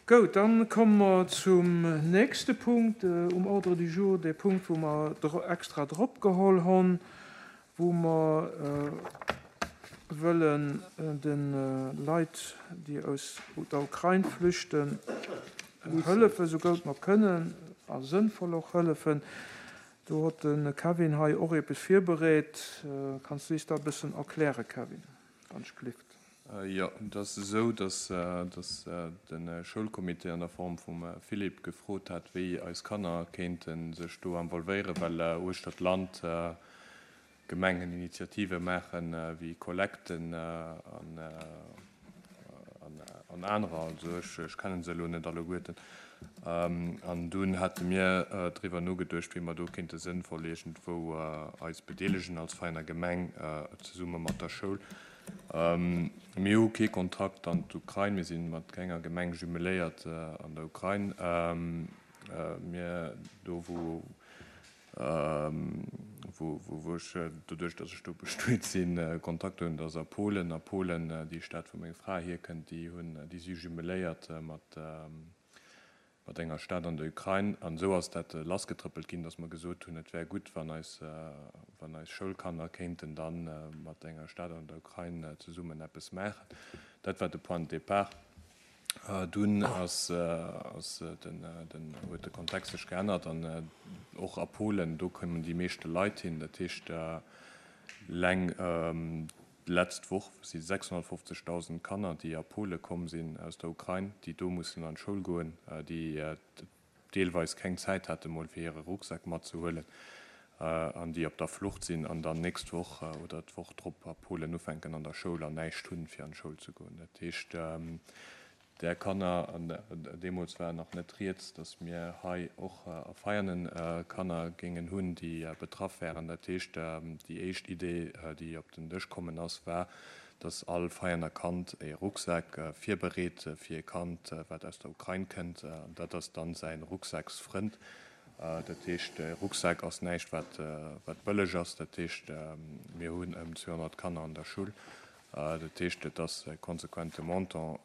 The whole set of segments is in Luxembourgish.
Goud, dann komme mer zum nächste Punkt um Ordre du jour, dee Punkt, wou mer extra drop geholl honn, wou mer wëllen de Leit, déi aus der Ukrain flüchten, hëllefen, esou goud mer kënnen a sënnvoll och hëllefen. Do hott de Kevin hei och eepes virbereet. Kanns du is dat e bëssen erklären, Kevin? Ganz glift. Jo, et ass esou, datt de Schoulcomité an der Form vum Philippe gefrot hat, wéi eis Kanner kéinte sech do involvéieren, well uechter d'Land Gemengen Initiative maachen, wéi Kollekten an anerer. Also ech kennen se elo net alleguerten. An dunn hate mir driwwer nogeduecht, wéi mer do kéinte sënnvoll iergendwou eis bedeelegen als Vereiner Gemeng zesumme mat der Schoul. Mir hu kee Kontakt an d'Ukrain. Mir si mat kenger Gemeng jumeléiert an der Ukrain. Mir do wou wou ech doduerch, datt ech do bestuet sinn, Kontakt hunn, dat ass a Polen. A Polen, déi Stad wou meng Fra hierkënnt, déi hunn déi si jumeléiert mat mat enger Stad an der Ukrain. An esou ass dat lassgetrëppelt ginn, datt mer gesot hunn, et wär gutt, wann eis, wann eis Schoulkanner kéinten da mat enger Stad an der Ukrain zesummen eppes maachen. Dat war de Point de départ. Dunn ass, ass den, den, huet de Kontext sech geännert an och a Polen, do kommen déi meeschte Leit hin. Dat heescht, eleng D'letzt Woch si 650.000 Kanner, déi a Pole komm sinn aus der Ukrain, déi do mussen an d'Schoul goen, déi deelweis keng Zäit hate mol fir hire Rucksak matzehuelen an déi op der Flucht sinn an dann nächst Woch oder d'Woch drop a Polen ufänken an der Schoul an näischt hunn, fir an d'Schoul ze goen. Dat heescht, Där Kanner, an deemools war nach net rieds, datt mir hei och a Veianen Kanner géingen hunn, déi betraff wären. Dat heescht, déi éischt Idee, déi op den Dësch kommen ass, war, datt all Veianer Kand e Rucksak virbereet fir e Kand, wat aus der Ukrain kënnt. An dat ass dann säi Rucksaksfrënd. Dat heescht, e Rucksak ass näischt, wat bëlleg ass. Dat heescht, mir hunn ëm 200 Kanner an der Schull. Dat heescht, et ass e konsequente Montant,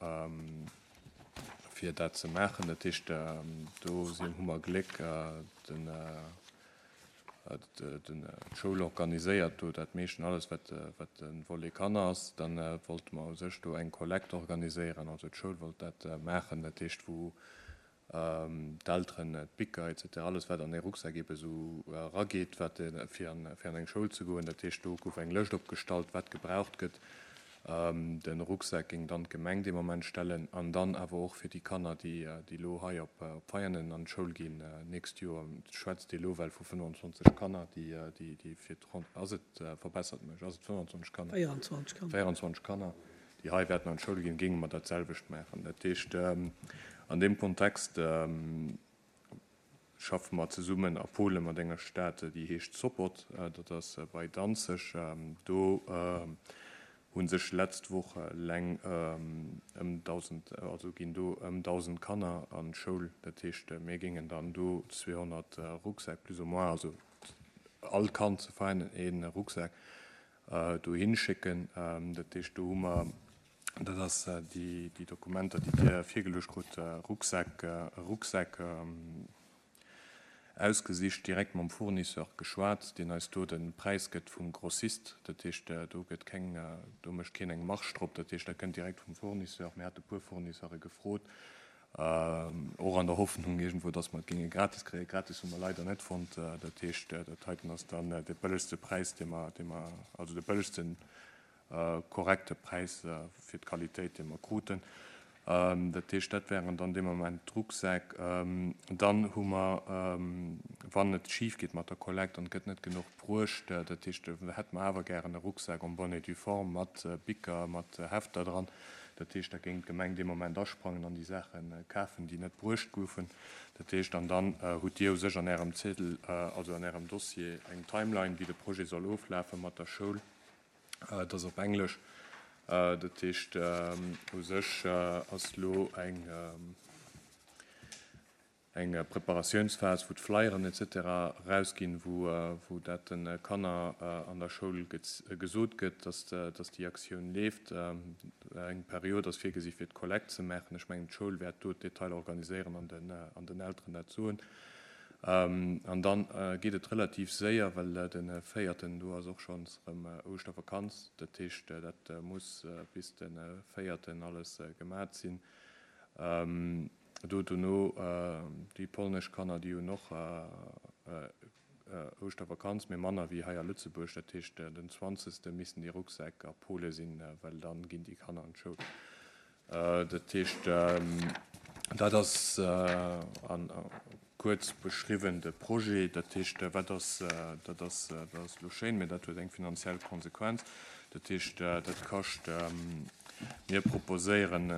fir dat ze maachen. Dat heescht, do sinn, hu mer Gléck, den, d'Schoul organiséiert do dat meeschten, alles wat, wat de Volet Kanner ass. Dann wollte mer u sech do eng Kollekt organiséieren, also d'Schoul wollt dat maachen, dat heescht, wou d'Elteren, d'Bicker etc. Alles wat an ee Rucksak ebe sou erageet, wat fir an fir an eng Schoul ze goen. Dat heescht, do gouf eng Lëscht opgestallt, wat gebraucht gëtt. De Rucksak géing dann d'Gemeng dee Moment stellen an dann awer och fir déi Kanner, déi déi elo hei op Veianen an d'Schoul ginn nächst Joer. Et schwätzt ee elo well vu 25 Kanner, déi déi fir d'Ronn, ass et, verbessert mech, ass et 25 Kanner? 24 Kanner. 24 Kanner. déi hei wäerten an d'Schoul ginn, géinge mer dat selwecht maachen. Dat heescht, an deem Kontext schaffe mer zesummen a Polen mat enger Stad, déi heescht Sopot, dat ass bei Danzeg. Do hu sech letzt Woch eleng ëm 1.000, also ginn do ëm 1.000 Kanner an d'Schoul. Dat heescht, mir géingen dann do 200 Rucksäck plus ou moins, also all Kand ze vereinen ee Rucksak, dohin schécken. Dat heescht, do hu mer, dat ass déi Dokumenter, déi Dir virgeluecht krut, Rucksäck, Rucksäck ausgesicht, direkt mam Fournisseur geschwat, deen eis do de Präis gëtt vum Grossist. Dat heescht, do gëtt keng, do mécht keen eng Marge drop. Dat heescht, dat kënnt direkt vum Fournisseur. Mir hate puer Fournisseure gefrot. Och an der Hoffnung iergendwou, dass mer et géinge gratis kréien. Gratis hu mer leider net fonnt. Dat heescht, dat heiten ass dann dee bëllegste Präis, dee mer, dee mer, also de bëllegsten korrekte Präis fir d'Qualitéit, dee mer kruten. Dat heescht, dat wären dann dee Moment d'Rucksäck. Dann hu mer, wann et schif geet mat der Kollekt an et gëtt net genuch bruecht, dat heescht, hätte mer awer gären e Rucksak en bonne et due forme mat Bicker, mat Hefter dran, Dat heescht, da géing d'Gemeng dee Moment asprangen an déi Saache kafen, déi net bruecht goufen. Dat heescht, an dann hutt Dir u sech an Ärem Ziedel, also an Ärem Dossier, eng Timeline, wéi de Projet soll oflafe mat der Schoul. Dat ass op Englesch. Dat heescht, u sech ass elo eng. Eng Preparatiounsphas, wou d'Flyeren etc. Erausginn, wou dat de Kanner an der Schoul gesot gëtt, dass déi Aktioun leeft. Eng Period ass virgesi fir d'Kollekt ze maachen. Ech mengen, d'Schoul wäert do d'Detailer organiséieren an den Elteren dat soen. An da geet et relativ séier, well de véierten, do ass och schonns erëm Ouschtervakanz. Dat heescht, dat muss bis de véierten alles gemat sinn. Do dono, déi polnesch Kanner, déi hunn och Ouschtervakanz, mee manner wéi hei a Lëtzebuerg. Dat heescht, den zwanzegste missten déi Rucksäck a Pole sinn, well da ginn déi Kanner an d'Schoul. Dat heescht, dat ass kuerz beschriwwen de Projet. Dat heescht, wat ass, dat ass, dat ass elo schéin, mee dat huet eng finanziell Konsequenz. Dat heescht, dat kascht, mir proposéieren,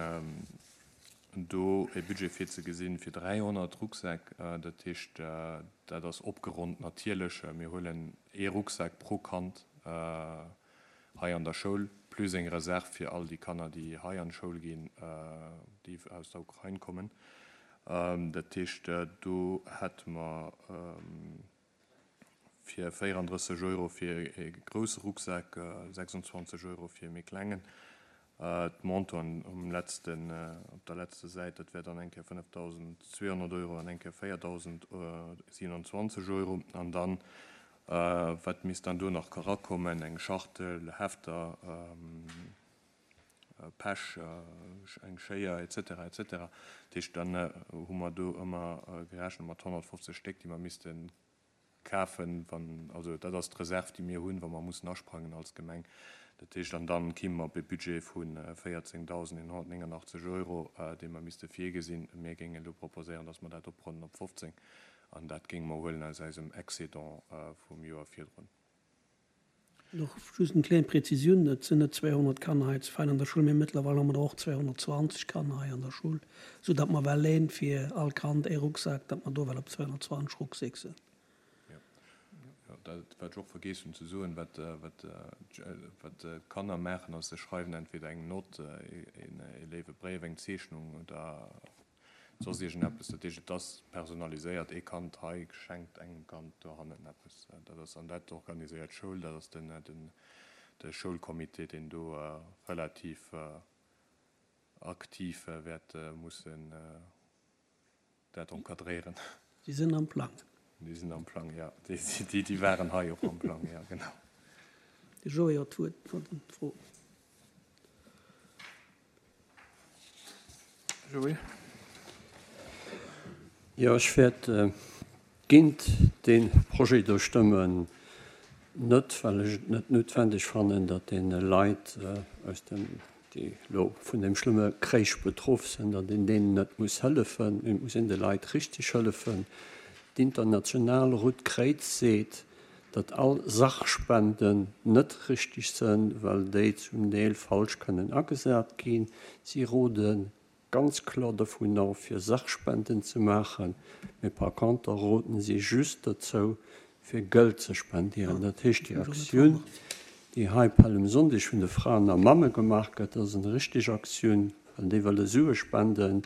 do e Budget virzegesinn fir 300 Rucksäck. Dat heescht, dat ass opgeronnt natierlech. Mir huelen ee Rucksak pro Kand hei an der Schoul, plus eng Reserv fir all déi Kanner, déi hei an d'Schoul ginn, déi aus der Ukrain kommen. Dat heescht, do hätte mer fir 34 Euro fir e grousse Rucksak, 26 Euro fir e méi klengen. D'Montanten um letzten, op der letzter Säit, dat wär dann eng Kéier 5.200 Euro an eng Kéier 4.027 Euro. An dann, wat misst dann do nach erakommen, eng Schachtel, Hefter, Pech, eng Schéier, et cetera, et cetera. Dat heescht, dann hu mer do ëmmer gerechent mat 150 Stéck, déi mer misste kafen, wann, also dat ass d'Reserv, déi mir hunn, wa mer mussen asprangen als Gemeng. Dat heescht, an dann kimme mer op e Budget vu 14.189 Euro, dee mer misste virgesinn. Mir géingen elo proposéieren, dass mer dat opronnen op 15 an dat géinge mer huelen aus eisem Excédent vum Joer virdrun. Och just eng kleng Präzisioun, Et sinn net 200 Kanner hei zu Vein an der Schoul, mee mëttlerweil hu mer der och 220 Kanner hei an der Schoul, esou datt mer well een fir all Kand ee Rucksak, datt mer do well op 220 Rucksäck sinn. Jo, dat wat ech och vergeess hunn ze soen, wat wat d'Kanner maachen, ass se schreiwen entweder eng Nott, ee léiwe Bréif, eng Zeechnung oder Soss iergendeppes. Dat heescht, et ass personaliséiert, ee Kand hei schenkt engem Kand dohannen eppes. Dat ass, an dat organiséiert d'Schoul, dat ass den, den, de Schoulcomité, deen do relativ aktiv wäert mussen dat encadréieren. Déi sinn am Plang. Déi sinn am Plang, jo. Déi, déi waren hei och am Plang, jo, genau. De Joé huet d'Wuert no den Froen. Joé. Jo, ech wäert géint dee Projet do stëmmen, net well ech et net noutwendeg fannen, datt deene Leit aus dem, déi elo vun deem schlëmme Kréich betroff sinn, datt een deenen net muss hëllefen. Mee et muss een de Leit richteg hëllefen. D'international Rout Kréiz seet, datt all Sachspenden net richteg sënn, well déi zum Deel falsch kënnen agesat ginn. Si rode ganz kloer dovun of, fir Sachspenden ze maachen, mee par conter roden si just dozou, fir Gëld ze spendieren. Dat heescht, déi Aktioun, déi hei Pällemsonndeg vun de Fraen a Mamme gemaach gëtt, ass eng richteg Aktioun, well déi wëlle Sue spenden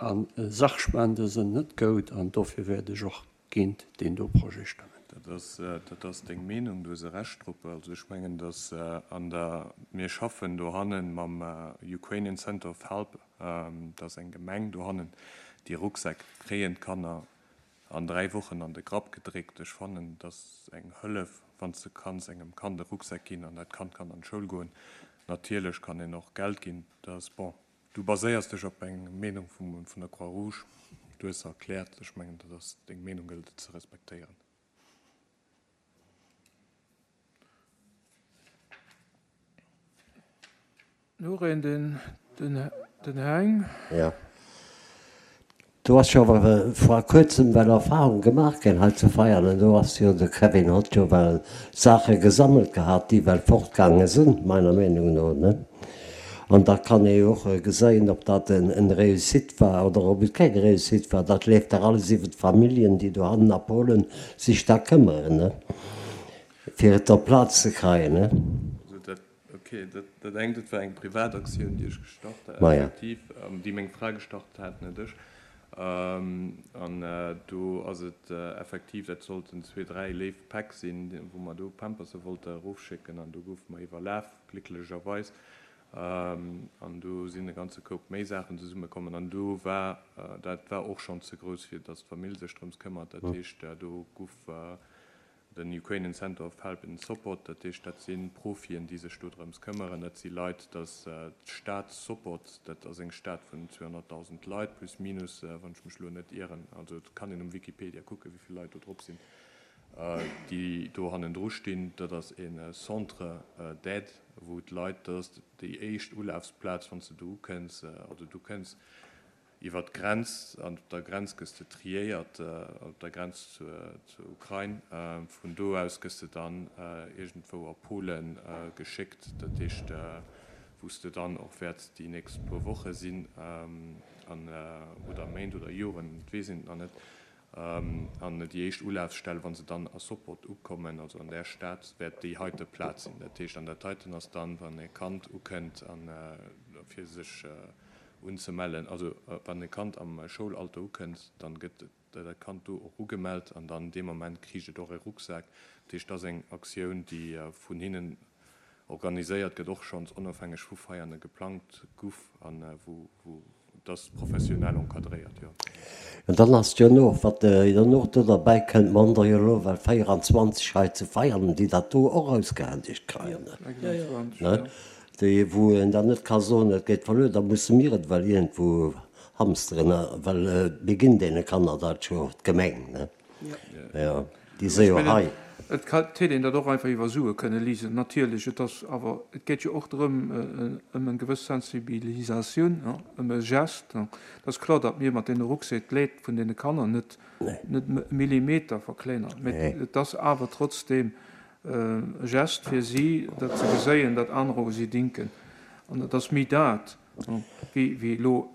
a Sachspende sënn net goud an dofir wäert ech och géint deen do Projet stëmmen. Dat ass, dat ass deng Meenung, du hues e Recht drop. Also ech mengen, datt an der, mir schaffen dohannen mam Ukrainian Center of Help, dat ass eng Gemeng dohannen, déi Rucksäck kréien d'Kanner an 3 Wochen an de Grapp gedréckt. Ech fannen, dat ass eng Hëllef, wann s de kanns engem Kand e Rucksak ginn an dat Kand kann an d'Schoul goen. Natierlech kann een och Geld ginn, dat ass bon. Du baséiers dech op eng Meenung vun der Croix-Rouge. Du hues se erkläert. Ech mengen, dat ass deng Meenung, gëllt et ze respektéieren. Noreen, den Heng. Jo. Do ass jo awer vor kuerzem well Erfahrung gemaach ginn hei zu Veianen. Do ass jo de Kevin hott jo well Saache gesammelt gehat, déi well fortgaange sinn, meiner Meenung no, ne? An da kann ee jo och geséien, ob dat en Réussite war oder ob et keng Réussite war. Dat leeft dach alles iwwer d'Familljen, déi dohannen a Polen sech da këmmeren, ne? Fir et op d'Plaz ze kreien, ne? Ok, dat engt, dat war eng Privataktioun, déi ech gestart hat, effektiv, déi meng Fra gestart hat, net ech. An do ass et effektiv, dat sollten zwee, dräi léif Päck sinn, wou mer do Pamperse wollte erofschécken. An do goufe mer iwwerlaf, glécklecherweis. An do sinn e ganze Koup méi Saachen zesummekommen. An do war, dat war och schonn ze grouss, fir datt d'Famill sech drëms këmmert. Dat heescht, do guff Den Ukrainian Center of Help and Support, dat heescht, dat si Profien, déi sech do drëms këmmeren. Dat si Leit, dat ass d'Stad Sopot, dat ass eng Stad vun 200.000 Leit, plus minus, wann ech mech elo net ieren. Also et kann een um Wikipedia kucken, wéi vill Leit do drop sinn, déi do hannendru stinn. Dat ass e Centre d'aide, wou d'Leit, dat ass déi éischt Ulafsplaz, wann s de do ukënns, also du kënns Iwwer d'Grenz, an op der Grenz gëss de triéiert, op der Grenz zur Ukrain. Vun do aus gëss de dann iergendwou a Polen geschéckt, dat heescht, wou s de dann och wäerts déi nächst puer Woche sinn, an, oder Méint oder Joren, et weess een et nach net. An déi éischt Ulafsstell, wa se dann a Sopot ukommen, also an där Stad, wäert déi heite Plaz sinn. Dat heescht, an dat heiten ass dann, wann e Kand ukënnt, a fir sech unzemellen. Also wann e Kand am Schoulalter ukënnt, dann gëtt dat Kand do och ugemellt an dann dee Moment kriicht et och e Rucksak. Dat heescht, dat ass eng Aktioun, déi vun hinnen organiséiert gëtt, och schonns onofhängeg vu Veianen geplangt guff an wou et ass professionell encadréiert, jo. An dann ass jo nach, wat jo och do derbäi kënnt, mer hunn der jo elo well 24 hei zu Veianen, déi dat do och ausgehändegt kréien, ne? Déi wou een dann net ka soen, et geet verluer, da musse mir et ewell iergendwou hamsteren, well mir ginn deene Kanner dat jo, d'Gemeng, ne? Jo, déi si jo hei. Et hätt een dat och einfach iwwer Sue kënne liesen, natierlech. Et ass awer, et geet jo och drëm, ëm eng gewëss Sensibilisatioun, ëm e Geste. Et ass kloer, datt mir mat deene Rucksäck d'Leed vun deene Kanner net e Millimeter verkléineren, mä et ass awer trotzdeem E Gest fir si, dat se geséien, datt anerer u si dinken. An et ass méi dat, wéi elo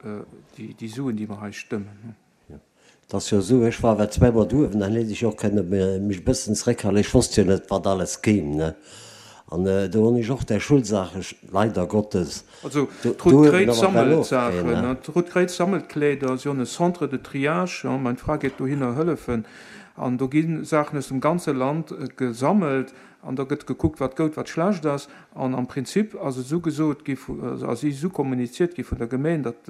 déi Suen, déi mer hei stëmmen. Et ass jo esou, ech war ewell zweemol douewen, dann hätt ech och kënne mech e bëssen zeréckhalen. Ech wosst jo net, wat alles kéim, ne. An do hunn ech och där Schulsaache leider Gottes Also d'Rout Kréiz sammelt Saachen, d'Rout Kréiz sammelt Kleeder, si hunn e Centre de triage, mein Fra geet dohinner hëllefen an do gi Saachen aus dem ganze Land gesammelt an da gëtt gekuckt, wat goud, wat schlecht ass. An am Prinzip ass et esou gesot gi, ass esou kommuniziert gi vun der Gemeen, datt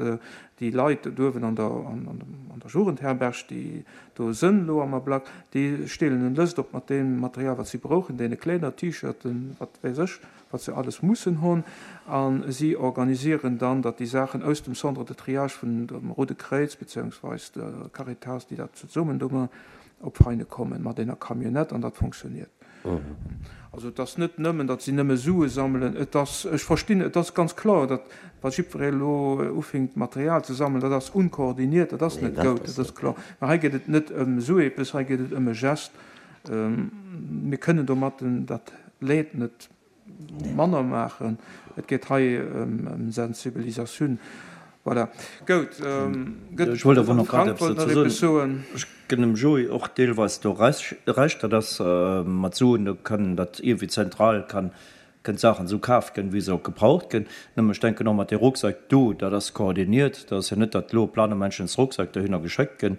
déi Leit do uewen an der an der Jugendherberg, déi do sënn elo am Ablack, déi steelen en Lëscht op mat deem Material, wat si brouchen, deene Kleeder, T-Shirten, wat weess ech. wat se alles mussen hunn, a si organisieren dann, datt déi Saachen aus dem Centre de triage vun dem Roude Kréiz beziehungsweis der Caritas, déi dat zesummen do maachen, op Veine kommen mat enger Camionnette an dat fonctionniert. Also et ass net nëmmen, datt si nëmme Sue sammelen, et ass, ech verstinn, et ass ganz kloer, datt wa jiddweree elo ufinkt Material ze sammelen, dat ass unkoordiniert, dat ass net goud, dat ass kloer. Mä hei geet et net ëm esou eppes, hei geet et ëm e Gest. Mir kënnen domatten dat Leed net manner maachen. Et geet hei ëm Sensibilisatioun. Voilà. Goud. Gëtt Ech wollt awer nach grad Frank eppes wollt nach dozou eppes soen. soen. Ech gënn dem Joé och deelweis do Recht, dat ass mat Suen, do kann dat iergendwéi zentral kann kënnen d'Saachen esou kaf gënn, wéi se och gebraucht gënn. Nëmme ech denken och mat dee Rucksack do, dat ass koordiniert, dat ass jo net, datt elo planomenschens Rucksack dohinner geschéckt gënn.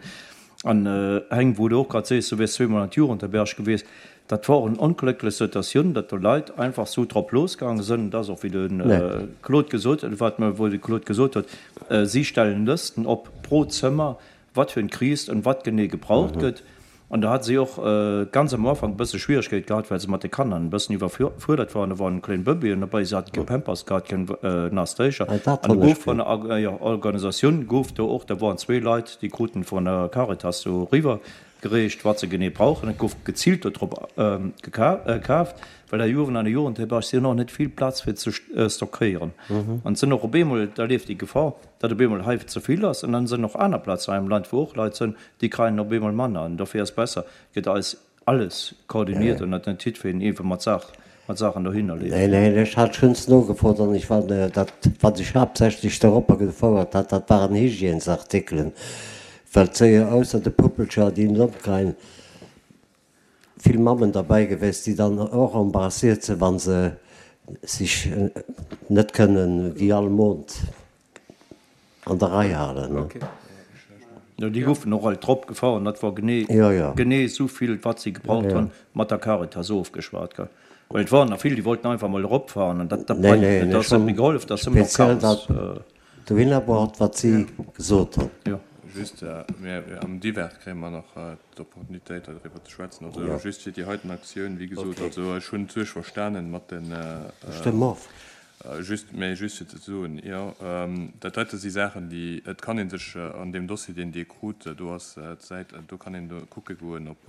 An Heng, wou de och grad sees, du wiers zweemol an d'Jugendherberg gewiescht, dat war och en onglécklech Situatioun, datt do Leit einfach sou drop losgaange sënn. Et ass och, wéi de Claude gesot huet, wat mer, wou de Claude gesot huet, si stellen Lësten op pro Zëmmer, wat fir en kriist an wat genee gebraucht gëtt. An do hate si och ganz am Ufank e bësse Schwieregkeet gehat, well se mat de Kanner en bëssen iwwerfuerdert waren. Do waren kleng Bëbeeën dobäi, se hate kee Pampers gehat, keng naass Drécher. An do gouf vun der Organisatioun gouf do och, da waren zwee Leit, déi kruten vun der Caritas do eriwwer gereecht, wat se genee brauchen. Et gouf geziilt do drop gekaaft, well der Jugend an der Jugendherberg, si hunn och net vill Plaz fir ze stockéieren. An et sinn och op eemol, da leeft déi Gefor, datt op eemol hei ze vill ass. An dann sinn och aner Plazen hei am Land, wou och Leit sinn, déi kreien op eemol manner. An dofir ass besser, gëtt eis alles koordiniert an datt net jiddwereen iergendwou mat Saach, mat Saachen dohinner leeft. Neen, neen, ech hat schonns nogefrot an ech war, dat wat ech haaptsächlech doropper gefouert hat, dat waren Hygiènesartikelen, well et si jo ausser de Puppelcher, déi en opkreien, vill Mammen derbäi gewiescht, déi dann och embarrassiert sinn, wa se sech net kënnen wéi all Mond an der Rei halen. Jo, déi goufen och all drop gefahr an dat war genee, genee esou vill, wat si gebraucht hunn, mat der Caritas ofgeschwat, gell. Well et waren der vill, déi wollten einfach mol eropfahren an dat, dat bréngt net. Dat ass net méi gehollef, dat ass nëmmen nach Chaos. Dohinner braucht, wat si gesot hunn. Jo. Just, mir am Divers kréie mer nach d'Opportunitéit, doriwwer ze schwätzen. Also just fir déi heiten Aktioun, wéi gesot, also ech hunn d'Suerg verstanen mat den. Stëmm of. Just, mä just fir ze soen, jo, dat heite si Saachen, déi, et kann ee sech an deem Dossier, deen Dir krut, do ass d'Säit, do kann een do kucke goen op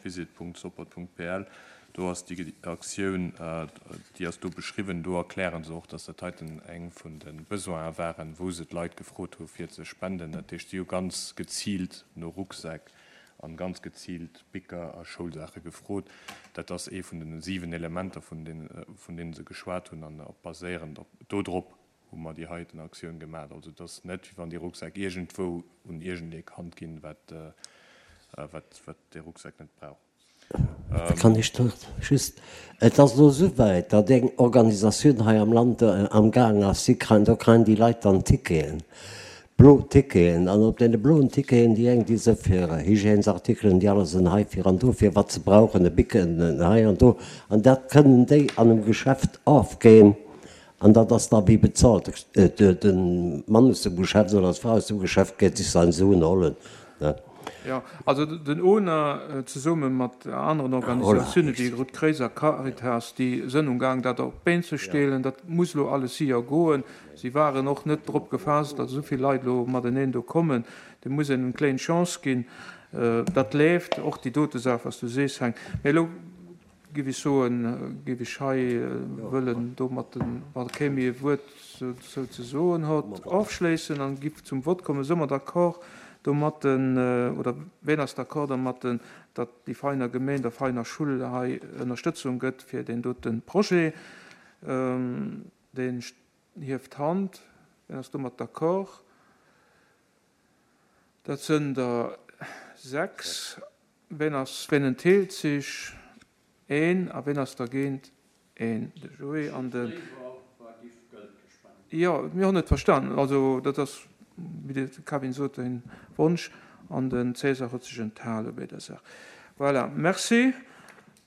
visit.sopport.pl, do ass déi Aktioun, déi ass do beschriwwen. Do erkläre se och, dass dat heiten eng vun de Besoine waren, wou se d'Leit gefrot hu fir ze spenden. Dat heescht, si hu ganz geziilt no Rucksäck an ganz geziilt Bicker a Schoulsaache gefrot. Dat ass ee vun den 7 Elementer, vun deene se geschwat hunn, an op baséierend op dodrop hu mer déi heiten Aktioun gemaat. Also et ass net, wéi wann déi Rucksäck iergendwou un iergendee Kand ginn, wat wat dee Rucksak net brauch. Kann ech do just, et ass elo esouwäit, datt eng Organisatioun hei am Land amgaang ass, si kréien, do kréien déi Leit dann Ticketen, blo Ticketen, an op deene bloen Ticketen, déi eng, déi se fir Hygiènesartikelen, déi aner sinn heifir an dofir, wat se brauchen, e Bic, en hei an do, an dat kënnen déi an engem Geschäft ofginn. An dat ass da wéi bezahlt. De Mann aus dem Geschäft oder d'Fra aus dem Geschäft geet sech sain Suen hollen. Jo, also den ona zesumme mat aneren Organisatiounen wéi Rout Kréiz a Caritas, déi sënn um Gaang dat op d'Been ze stelen. Dat muss elo alles séier goen. Si waren och net drop gefaasst, datt esou vill Leit elo mateneen do kommen. Deem muss een eng kléin Chance ginn. Dat leeft, och déi dote Saach, wat s du sees, Heng. Mee elo Giff ech soen, giff ech hei wëllen domatten, wa kee méi e Wuert dozou ze soen hott, ofschléissen an giff zum Vott kommen. Së mer d'accord domatten, oder ween ass d'accord dermatten, datt déi Veiner Gemeen der Veiner Schull hei Ënnerstëtzung gëtt fir deen dote Projet? Deen hieft d'Hand. Ween ass domat d'accord? Dat sënn der 6. Ween ass, ween entheelt sech? Een. A ween ass dergéint? Een. De Joé an de. Jo, mir hunn et verstanen. Also dat ass, wéi de Kevin sot, e Wonsch. An den César huet sech enthale bei der Saach. Voilà, merci.